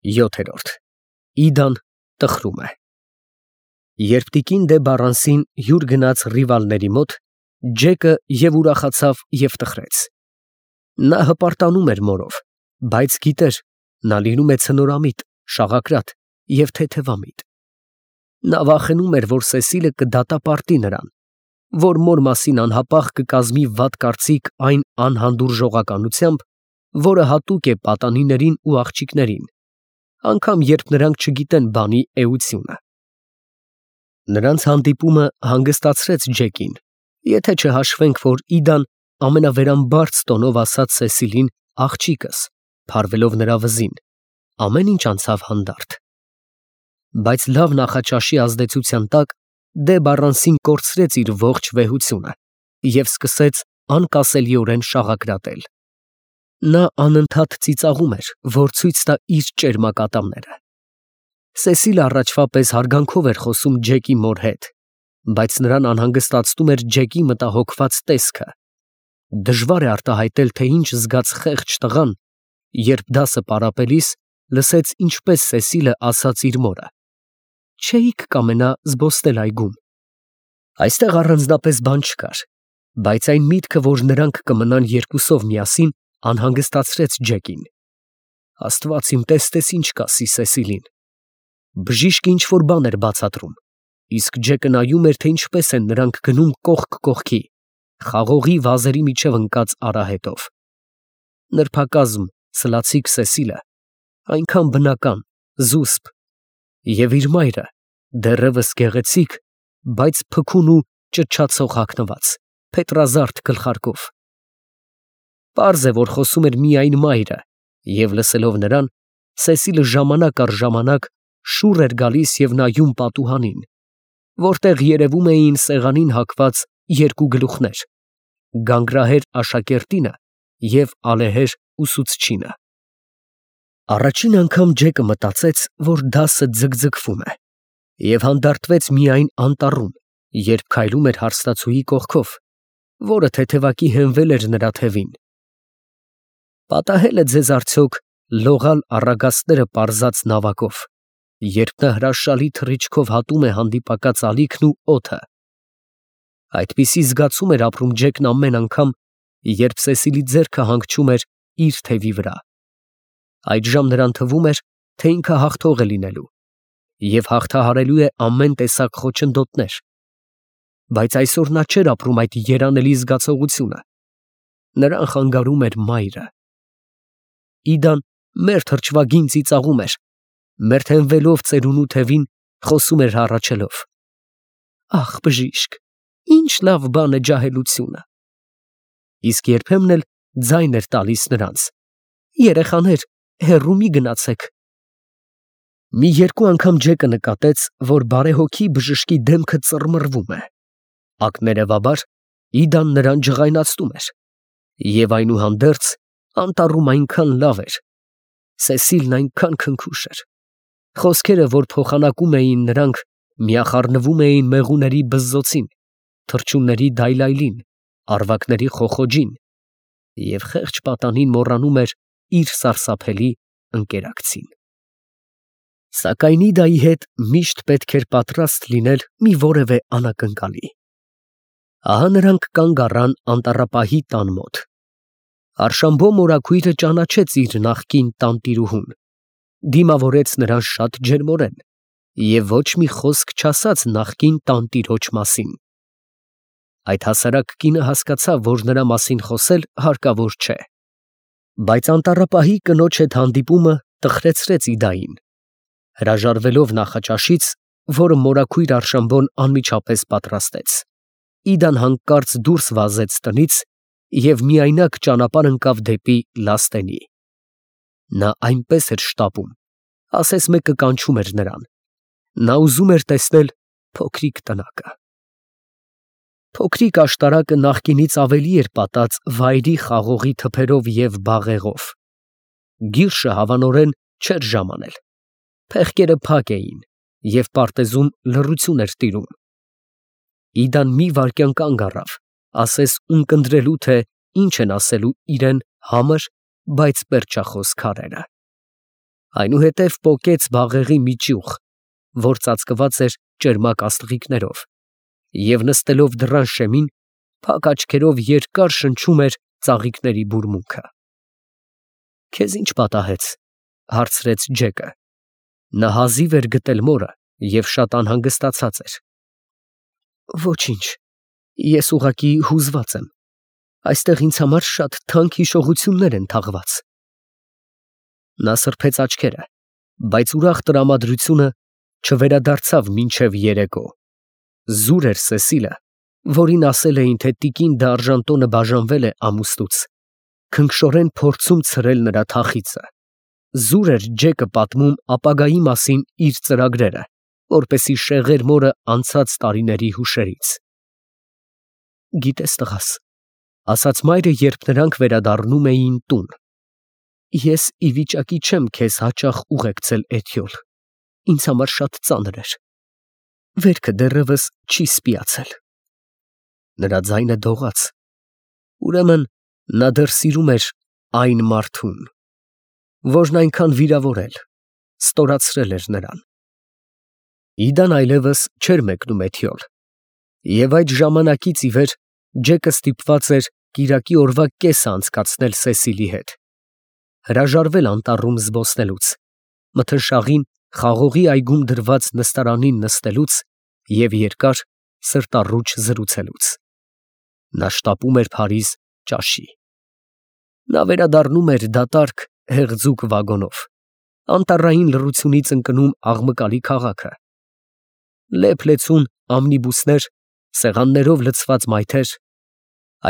7։ Իդան տխրում է։ Երբ տիկին դե Բառանսին հյուր գնաց ռիվալների մոտ, Ջեկը և ուրախացավ և տխրեց։ Նա հպարտանում էր մորով, բայց գիտեր, նա լինում է ցնորամիտ, շաղակրատ և թեթևամիտ։ Նա վախենում էր, որ Սեսիլը կդատապարտի նրան, որ մոր մասին անհապաղ կկազմի վատ կարծիք այն անհանդուրժողականությամբ, որը հատուկ է պատանիներին ու աղջիկներին, անգամ երբ նրանք չգիտեն բանի էությունը։ Նրանց հանդիպումը հանգստացրեց Ջեկին, եթե չհաշվենք, որ Իդան ամենավերամբարձ տոնով ասաց Սեսիլին աղջիկս, փարվելով նրա վզին, ամեն ինչ անցավ հանդարտ։ Բայց լավ նախաճաշի ազդեցության տակ դե Բառանսին կորցրեց իր ողջ վեհությունը և սկսեց անկասելիորեն շաղակրատել։ Նա անընդհատ ծիծաղում էր, որ ցույց տա իր ճերմակատամները։ Սեսիլը առաջվա պես հարգանքով էր խոսում Ջեկի մոր հետ, բայց նրան անհանգստացնում էր Ջեկի մտահոգված տեսքը։ Դժվար է արտահայտել, թե ինչ զգաց խեղճ տղան, երբ դասը պարապելիս լսեց ինչպես Սեսիլը ասաց իր մորը. «Չէիք կամենա զբոսնել այգում»։ Այստեղ առանձնապես բան չկար, բայց այն միտքը, որ նրանք կմնան երկուսով միասին, անհանգստացրեց Ջեկին։ Աստված իմ, տեսնես ինչ կասի Սեսիլին։ Բժիշկը ինչ֊որ բան էր բացատրում, իսկ Ջեկը նայում էր, թե ինչպես են նրանք գնում կողք կողքի, խաղողի վազերի միջև ընկած արահետով։ Նրբակազմ, սլացիկ Սեսիլը, այնքան բնական, զուսպ, և իր մայրը, դեռևս գեղեցիկ, բայց փքուն ու ճչացող հագնված, փետրազարդ գլխարկով։ Պարզ է, որ խոսում էր միայն մայրը, և լսելով նրան, Սեսիլը ժամանակ առ ժամանակ շուռ էր գալիս և նայում պատուհանին, որտեղ երևում էին սեղանին հագված երկու գլուխներ՝ գանգրահեր աշակերտինը և ալեհեր ուսուցչինը։ Առաջին անգամ Ջեկը մտածեց, որ դասը ձգձգվում է, և հանդարտվեց միայն անտառում, երբ քայլում էր հարստացուի կողքով, որը թեթևակի հենվել էր նրա թևին։ Պատահե՞լ է ձեզ արդյոք լողալ առագաստները պարզած նավակով, երբ նա հրաշալի թռիչքով հատում է հանդիպակաց ալիքն ու օդը։ Այդպիսի զգացում էր ապրում Ջեկն ամեն անգամ, երբ Սեսիլի ձեռքը հանգչում էր իր թևի վրա։ Այդժամ նրան թվում էր, թե ինքը հաղթող է լինելու և հաղթահարելու է ամեն տեսակ խոչընդոտներ, բայց այսօր նա չէր ապրում այդ երանելի զգացողությունը, նրան խանգարում էր մայրը։ Իդան մերթ հրճվագին ծիծաղում էր, մերթ հենվելով ծերունու թևին խոսում էր հառաչելով. «Ախ, բժիշկ, ինչ լավ բան է ջահելությունը»։ Իսկ երբեմն էլ ձայն էր տալիս նրանց. «Երեխաներ, հեռու մի գնացեք»։ Մի երկու անգամ Ջեկը նկատեց, որ բարեհոգի բժշկի դեմքը ծռմռվում է։ Ակներևաբար Իդան նրան ջղայնացնում էր, և այնուհանդերձ անտառում այնքան լավ էր, Սեսիլն այնքան քնքուշ էր, խոսքերը, որ փոխանակում էին նրանք, միախառնվում էին մեղուների բզզոցին, թռչունների դայլայլին, առվակների խոխոջին, և խեղճ պատանին մոռանում էր իր սարսափելի ընկերակցին։ Սակայն Իդայի հետ միշտ պետք էր պատրաստ լինել մի որևէ անակնկալի։ Ահա նրանք կանգ առան անտառապահի տան մոտ։ Արշամբո մորաքույրը ճանաչեց իր նախկին տանտիրուհուն, դիմավորեց նրան շատ ջերմորեն և ոչ մի խոսք չասաց նախկին տանտիրոջ մասին։ Այդ հասարակ կինը հասկացավ, որ նրա մասին խոսել հարկավոր չէ։ Բայց անտառապահի կնոջ հետ հանդիպումը տխրեցրեց Իդային։ Հրաժարվելով նախաճաշից, որը մորաքույր Արշամբոն անմիջապես պատրաստեց, Իդան հանկարծ դուրս վազեց տնից և միայնակ ճանապարհ ընկավ դեպի լաստենի։ Նա այնպես էր շտապում, ասես մեկը կանչում էր նրան։ Նա ուզում էր տեսնել փոքրիկ տնակը։ Փոքրիկ աշտարակը նախկինից ավելի էր պատած վայրի խաղողի թփերով և բաղեղով։ Գիրշը հավանորեն չէր ժամանել, փեղկերը փակ էին և պարտեզում լռություն էր տիրում։ Իդան մի վայրկյան կանգ առավ, ասես ունկնդրելու, թե ինչ են ասելու իրեն համր, բայց պերճախոս քարերը։ Այնուհետև պոկեց բաղեղի մի ճյուղ, որ ծածկված էր ճերմակ աստղիկներով, և նստելով դռան շեմին, փակ աչքերով երկար շնչում էր ծաղիկների բուրմունքը։ «Քեզ ի՞նչ պատահեց» հարցրեց Ջեկը։ Նա հազիվ էր գտել մորը և շատ անհանգստացած էր։ «Ոչինչ, ես ուղղակի հուզված եմ, այստեղ ինձ համար շատ թանկ հիշողություններ են թաղված»։ Նա սրբեց աչքերը, բայց ուրախ տրամադրությունը չվերադարձավ մինչև երեկո։ Զուր էր Սեսիլը, որին ասել էին, թե տիկին դ'Արժանտոնը բաժանվել է ամուսնուց, քնքշորեն փորձում ցրել նրա թախիծը։ Զուր էր Ջեկը պատմում ապագայի մասին իր ծրագրերը, որպեսզի շեղեր մորը անցած տարիների հուշերից։ «Գիտես, տղաս, ֊ ասաց մայրը, երբ նրանք վերադառնում էին տուն, ֊ ես ի վիճակի չեմ քեզ հաճախ ուղեկցել Էթյոլ, ինձ համար շատ ծանր էր։ Վերքը դեռևս չի սպիացել»։ Նրա ձայնը դողաց։ Ուրեմն նա դեռ սիրում էր այն մարդուն, որն այնքան վիրավորել, ստորացրել էր նրան։ Իդան այլևս չէր մեկնում Էթյոլ, և այդ ժամանակից ի վեր Ջեկը ստիպված էր կիրակի օրվա կեսը անցկացնել Սեսիլի հետ, հրաժարվել անտառում զբոսնելուց, մթնշաղին խաղողի այգում դրված նստարանին նստելուց և երկար սրտառուչ զրուցելուց։ Նա շտապում էր Փարիզ ճաշի։ Նա վերադառնում էր դատարկ հեղձուկ վագոնով, անտառային լռությունից ընկնում աղմկալի քաղաքը։ Լեփ-լեցուն ամնիբուսներ, սեղաններով լցված մայթեր,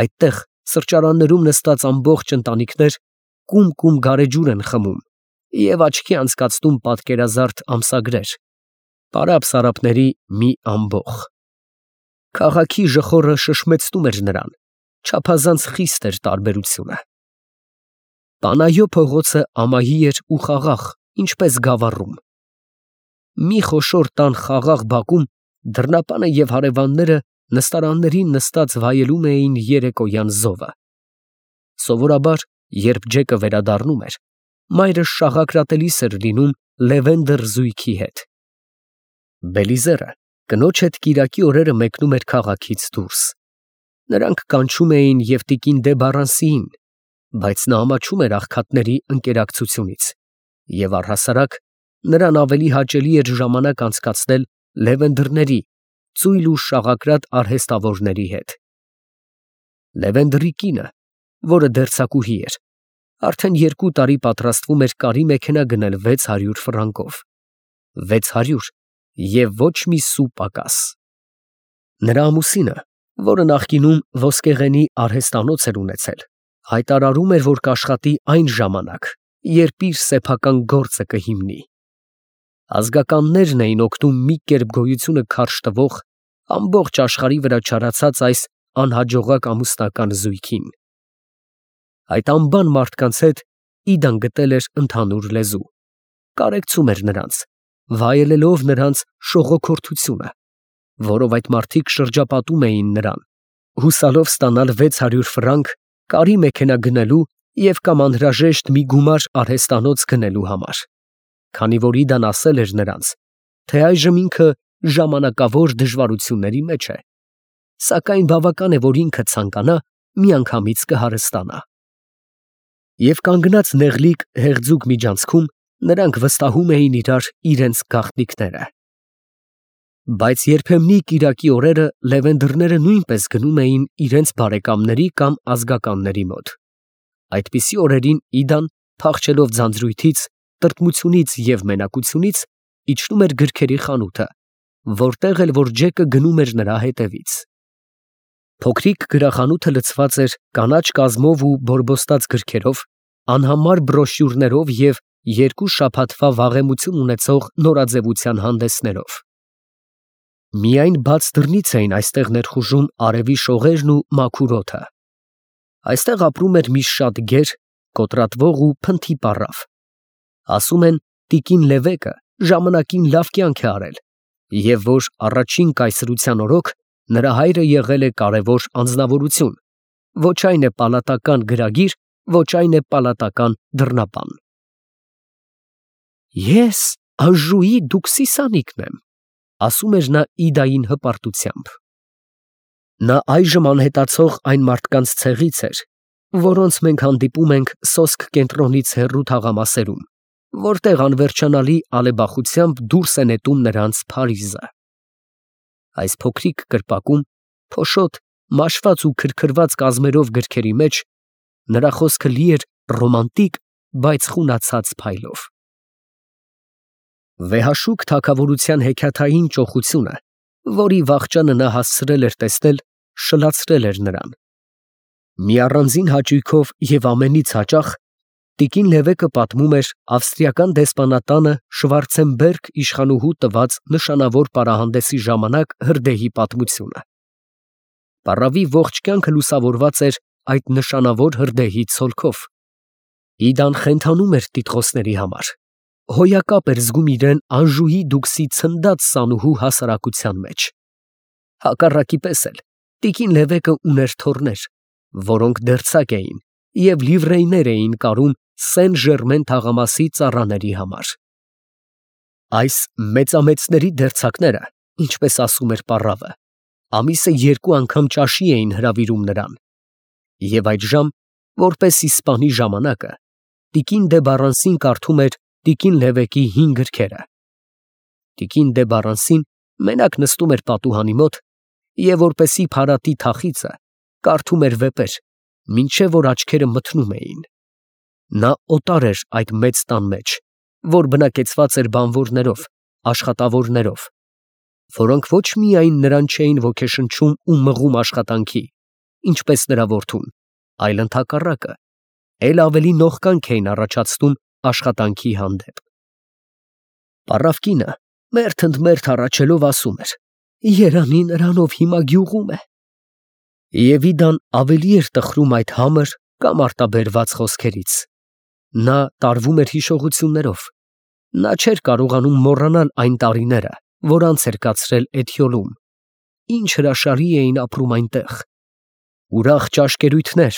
այդտեղ սրճարաններում նստած ամբողջ ընտանիքներ կում գարեջուր են խմում և աչքի անցկացնում պատկերազարդ ամսագրեր, պարապ սարապների մի ամբոխ։ Քաղաքի ժխորը շշմեցնում էր նրան, չափազանց խիստ էր տարբերությունը։ Պանայո փողոցը ամայի էր ու խաղաղ, ինչպես Գավառում։ Մի խոշոր տան խաղաղ բակում դռնապանը և հարևանները նստարաններին նստած վայելում էին երեկոյան զովը։ Սովորաբար, երբ Ջեկը վերադառնում էր, մայրը շաղակրատելիս էր լինում Լևենդր զույգի հետ։ Բելիզերը կնոջ հետ կիրակի օրերը մեկնում էր քաղաքից դուրս։ Նրանք կանչում էին և տիկին դե Բարանսիին, բայց նա ամաչում էր աղքատների ընկերակցությունից, և առհասարակ նրան ավելի հաճելի էր ժամանակ անցկացնել Լևենդրների, ծույլ ու շաղակրատ արհեստավորների հետ։ Լևենդրի կինը, որը դերձակուհի էր, արդեն 2 տարի պատրաստվում էր կարի մեքենա գնել 600 ֆրանկով։ 600 և ոչ մի սու պակաս։ Նրա ամուսինը, որը նախկինում ոսկեղենի արհեստանոց էր ունեցել, հայտարարում էր, որ կաշխատի այն ժամանակ, երբ իր սեփական գործը կհիմնի։ Ազգականներն էին օգնում մի կերպ գոյությունը քարշ տվող, ամբողջ աշխարհի վրա չարացած այս անհաջողակ ամուսնական զույգին։ Այդ անբան մարդկանց հետ Իդան գտել էր ընդհանուր լեզու, կարեկցում էր նրանց, վայելելով նրանց շողոքորթությունը, որով այդ մարդիկ շրջապատում էին նրան, հուսալով ստանալ 600 ֆրանկ կարի մեքենա գնելու և կամ անհրաժեշտ մի գումար արհեստանոց գնելու համար, քանի որ Իդան ասել էր նրանց, թե այժմ ինքը ժամանակավոր դժվարությունների մեջ է, սակայն բավական է, որ ինքը ցանկանա, միանգամից կհարստանա։ Եվ կանգնած նեղլիկ հեղձուկ միջանցքում նրանք վստահում էին իրենց գաղտնիքները։ Բայց երբեմնի կիրակի օրերը Լևենդրները նույնպես գնում էին իրենց բարեկամների կամ ազգականների մոտ։ Այդպիսի օրերին Իդան, փախչելով ձանձրույթից, տրտմությունից և մենակությունից, իջնում էր գրքերի խանութը, որտեղ էլ որ Ջեկը գնում էր նրա հետևից։ Փոքրիկ գրախանութը լցված էր կանաչ կազմով ու բորբոստած գրքերով, անհամար բրոշյուրներով և 2 շաբաթվա վաղեմություն ունեցող նորաձևության հանդեսներով։ Միայն բաց դռնից էին այստեղ ներխուժում արևի շողերն ու մաքուր օդը։ Այստեղ ապրում էր մի շատ գեր, կոտրատվող ու փնթի պառավ։ Ասում են, տիկին Լևեկը ժամանակին լավ կյանք է արել, և որ առաջին կայսրության օրոք նրա հայրը եղել է կարևոր անձնավորություն, ոչ այն է պալատական գրագիր, ոչ այն է պալատական դռնապան։ Ես Անժուի դուքսի սանիկն եմ, ասում էր նա Իդային հպարտությամբ։ Նա այժմ անհետացող այն մարդկանց ցեղից էր, որոնց մենք հանդիպում ենք սոսկ կենտրոնից հեռու թաղամասերում, որտեղ անվերջանալի ալեբախությամբ դուրս է նետում նրանց Փարիզը։ Այս փոքրիկ կրպակում, փոշոտ, մաշված ու քրքրված կազմերով գրքերի մեջ նրա խոսքը լի էր ռոմանտիկ, բայց խունացած փայլով։ Վեհաշուկ թագավորության հեքիաթային ճոխությունը, որի վախճանը նա հասցրել էր տեսնել, շլացրել էր նրան։ Մի առանձին հաճույքով և ամենից հաճախ տիկին Լևեկը պատմում էր ավստրիական դեսպանատանը Շվարցենբերգ իշխանուհու տված նշանավոր պարահանդեսի ժամանակ հրդեհի պատմությունը։ Պառավի ողջ կյանքը լուսավորված էր այդ նշանավոր հրդեհի ցոլքով։ Իդան խենթանում էր տիտղոսների համար, հոյակապ էր զգում իրեն Անժուի դուքսի ցնդած սանուհու հասարակության մեջ։ Հակառակի պես էլ տիկին Լևեկը ուներ թոռներ, որոնք դերձակ էին և լիվրեյներ էին կարում Սեն Ժերմեն թաղամասի ծառաների համար։ Այս մեծամեծների դերձակները, ինչպես ասում էր պառավը, ամիսը 2 անգամ ճաշի էին հրավիրում նրան, և այդժամ, որպեսզի սպանի ժամանակը, տիկին դե Բարանսին կարդում էր տիկին Լևեկի 5 գրքերը։ Տիկին դե Բարանսին մենակ նստում էր պատուհանի մոտ և որպեսզի փարատի թախիծը, կարդում էր վեպեր, մինչև որ աչքերը մթնում էին։ Նա օտար էր այդ մեծ տան մեջ, որ բնակեցված էր բանվորներով, աշխատավորներով, որոնք ոչ միայն նրան չէին ոգեշնչում ու մղում աշխատանքի, ինչպես նրա որդուն, այլ ընդհակառակը, էլ ավելի նողկանք էին առաջացնում աշխատանքի հանդեպ։ Պառավ կինը մերթ ընդ մերթ հառաչելով ասում էր. «Երանի նրանով հիմա գյուղում է»։ Եվ Իդան ավելի էր տխրում այդ համր կամ արտաբերված խոսքերից։ Նա տարվում էր հիշողություններով։ Նա չէր կարողանում մոռանալ այն տարիները, որ անց էր կացրել Էթիոլում։ Ինչ հրաշալի էին ապրում այնտեղ։ Ուրախ ճաշկերույթներ,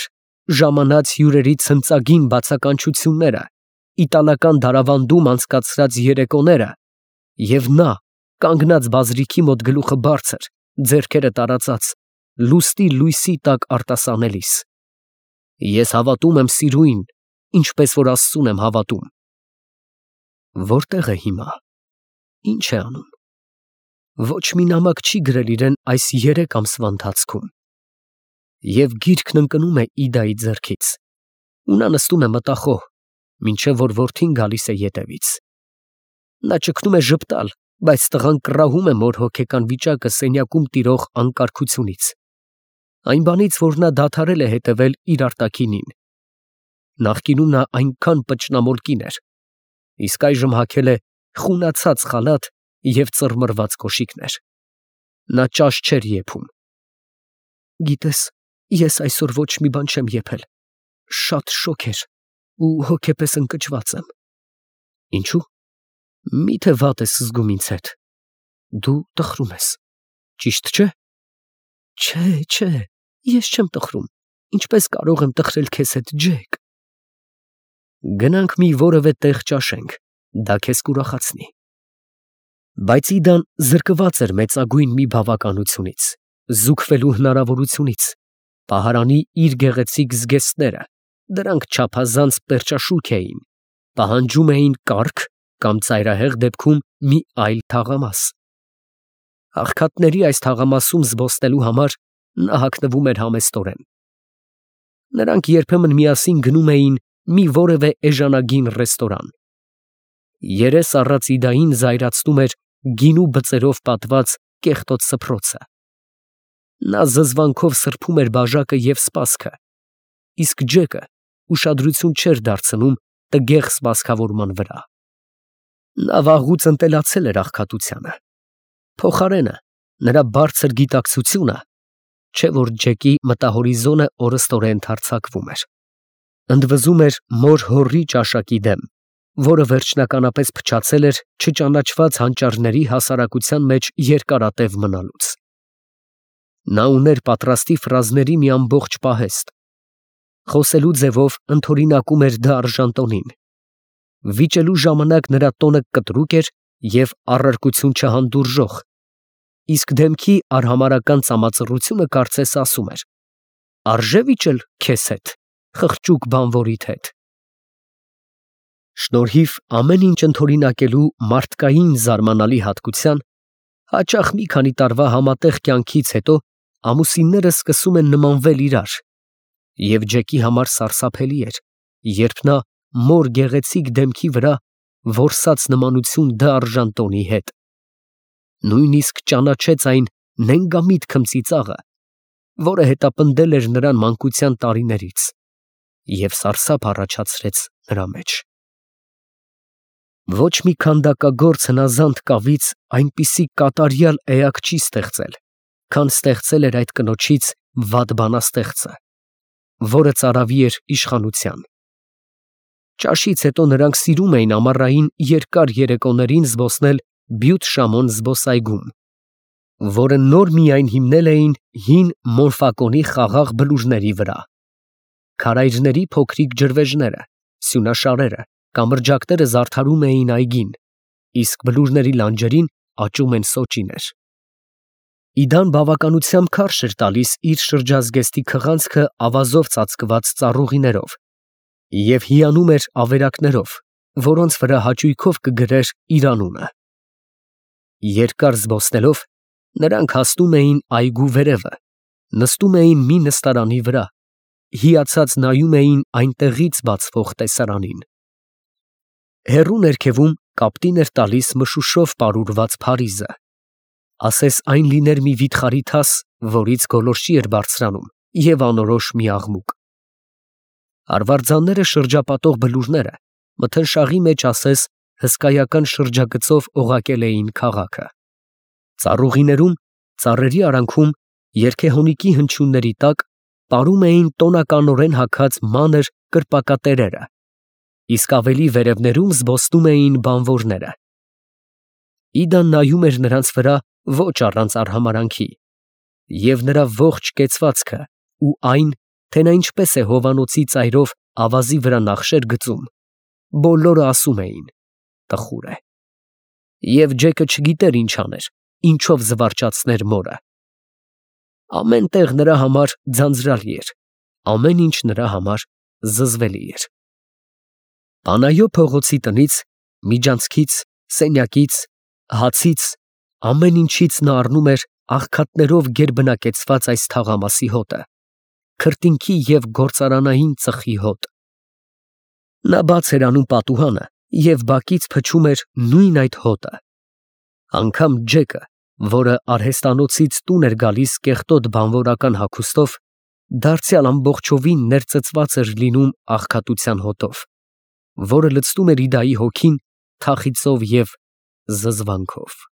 ժամանած հյուրերի ցնծագին բացականչությունները, իտալական դարավանդում անցկացրած երեկոները, և նա, կանգնած բազրիքի մոտ գլուխը բարձր, ձեռքերը տարածած, լուստի լույսի տակ արտասանելիս։ Ես հավատում եմ սիրուին, ինչպես որ Աստծուն եմ հավատում։ Որտե՞ղ է հիմա, ի՞նչ է անում։ Ոչ մի նամակ չի գրել իրեն այս 3 ամսվա ընթացքում։ Եվ գիրքն ընկնում է Իդայի ձեռքից, ու նա նստում է մտախոհ, մինչև որ որդին գալիս է ետևից։ Նա ճգնում է ժպտալ, բայց տղան կռահում է մոր հոգեկան վիճակը սենյակում տիրող անկարգությունից, այն բանից, որ նա դադարել է հետևել իր արտաքինին։ Նախկինում նա այնքան պճնամոլ կին էր, իսկ այժմ հագել է խունացած խալաթ և ծռմռված կոշիկներ։ Նա ճաշ չէր եփում։ Գիտես, ես այսօր ոչ մի բան չեմ եփել, շատ շոգ էր ու հոգեպես ընկճված եմ։ Ինչու՞։ Միթե վատ ես զգում ինձ հետ։ Դու տխրում ես, ճիշտ չէ։ Չէ, ես չեմ տխրում, ինչպես կարող եմ տխրել քեզ հետ, Ջեք։ Գնանք մի որևէ տեղ ճաշենք, դա քեզ կուրախացնի։ Բայց Իդան զրկված էր մեծագույն մի բավականությունից, զուգվելու հնարավորությունից, պահարանի իր գեղեցիկ զգեստները, դրանք չափազանց պերճաշուք էին, պահանջում էին կառք կամ ծայրահեղ դեպքում մի այլ թաղամաս։ Աղքատների այս թաղամասում զբոսնելու համար նա հագնվում էր համեստորեն։ Նրանք երբեմն միասին գնում էին մի որևէ էժանագին ռեստորան։ Երես առած Իդային զայրացնում էր գինու բծերով պատված կեղտոտ սփռոցը։ Նա զզվանքով սրբում էր բաժակը և սպասքը, իսկ Ջեկը ուշադրություն չէր դարձնում տգեղ սպասքավորման վրա։ Նա վաղուց ընտելացել էր աղքատությանը։ Փոխարենը նրա բարձր գիտակցությունը, չէ որ Ջեկի մտահորիզոնը օրըստորեն ընդարձակվում էր, ընդվզում էր մոր հորի ճաշակի դեմ, որը վերջնականապես փչացել էր չճանաչված հանճարների հասարակության մեջ երկարատև մնալուց։ Նա ուներ պատրաստի ֆրազների մի ամբողջ պահեստ։ Խոսելու ձևով ընդօրինակում էր դա Արժանտոնին, Վիճելու ժամանակ նրա տոնը կտրուկ էր և առարկություն չհանդուրժող, իսկ դեմքի արհամարհական ծամածռությունը կարծես ասում էր. «Արժե՞ վիճել քեզ հետ, խղճուկ բանվորիդ հետ»։ Շնորհիվ ամեն ինչ ընդօրինակելու մարդկային զարմանալի հատկության, հաճախ մի քանի տարվա համատեղ կյանքից հետո ամուսինները սկսում են նմանվել իրար, և Ջեկի համար սարսափելի էր, երբ նա մոր գեղեցիկ դեմքի վրա որսաց նմանություն դարժան տոնի հետ։ Նույնիսկ ճանաչեց այն նենգամիտ քմծիծաղը, որը հետապնդել էր նրան մանկության տարիներից, և սարսափ առաջացրեց նրա մեջ։ Ոչ մի քանդակագործ հնազանդ կավից այնպիսի կատարյալ էակ չի ստեղծել, քան ստեղծել էր այդ կնոջից վատ բանաստեղծը, որը ծարավի էր իշխանության։ Ճաշից հետո նրանք սիրում էին ամառային երկար երեկոներին զբոսնել Բյուտ-Շամոն զբոսայգում, որը նոր միայն հիմնել էին հին Մոնֆակոնի խաղաղ բլուրների վրա։ Քարայրների փոքրիկ ջրվեժները, սյունաշարերը, կամրջակները զարդարում էին այգին, իսկ բլուրների լանջերին աճում են սոճիներ։ Իդան բավականությամբ քարշ էր տալիս իր շրջազգեստի քղանցքը ավազով ծածկված ծառուղիներով և հիանում էր ավերակներով, որոնց վրա հաճույքով կգրեր իր անունը։ Երկար զբոսնելով, նրանք հասնում էին այգու վերևը, նստում էին մի նստարանի վրա, հիացած նայում էին այնտեղից բացվող տեսարանին։ Հեռու ներքևում կապտին էր տալիս մշուշով պարուրված Փարիզը, ասես այն լիներ մի վիթխարի թաս, որից գոլորշի էր բարձրանում, և անորոշ մի աղմուկ։ Արվարձանները շրջապատող բլուրները մթնշաղի մեջ ասես հսկայական շրջագծով օղակել էին քաղաքը։ Ծառուղիներում, ծառերի արանքում, երգեհոնիկի հնչյունների տակ պարում էին տոնականորեն հագած մանր կրպակատերերը, իսկ ավելի վերևներում զբոսնում էին բանվորները։ Իդան նայում էր նրանց վրա ոչ առանց արհամարհանքի, և նրա ողջ կեցվածքը ու այն, թե նա ինչպես է հովանոցի ծայրով ավազի վրա նախշեր գծում, բոլորը ասում էին. «Տխուր է»։ Եվ Ջեկը չգիտեր ինչ աներ, ինչով զվարճացներ մորը։ Ամեն տեղ նրա համար ձանձրալի էր, ամեն ինչ նրա համար զզվելի էր։ Պանայո փողոցի տնից, միջանցքից, սենյակից, հացից, ամեն ինչից նա առնում էր աղքատներով գերբնակեցված այս թաղամասի հոտը, քրտինքի և գործարանային ծխի հոտ։ Նա բաց էր անում պատուհանը և բակից փչում էր նույն այդ հոտը։ Անգամ Ջեկը, որը արհեստանոցից տուն էր գալիս կեղտոտ բանվորական հագուստով, դարձյալ ամբողջովին ներծծված էր լինում աղքատության հոտով, որը լցնում էր Իդայի հոգին թախիծով և զզվանքով։